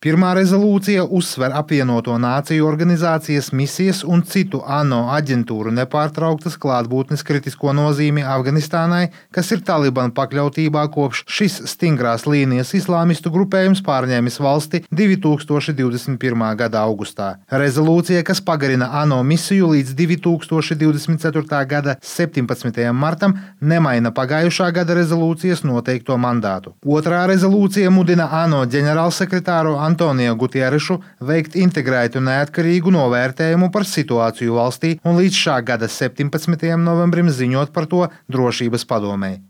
Pirmā rezolūcija uzsver apvienoto nāciju organizācijas misijas un citu ANO aģentūru nepārtrauktas klātbūtnes kritisko nozīmi Afganistānai, kas ir Talibana pakļautībā kopš šis stingrās līnijas islāmistu grupējums pārņēmis valsti 2021. gada augustā. Rezolūcija, kas pagarina ANO misiju līdz 2024. gada 17. martam, nemaina pagājušā gada rezolūcijas noteikto mandātu. Otrā rezolūcija mudina ANO ģenerālsekretāru Antonio Gutierešu veikt integrētu neatkarīgu novērtējumu par situāciju valstī un līdz šā gada 17. novembrim ziņot par to Drošības padomei.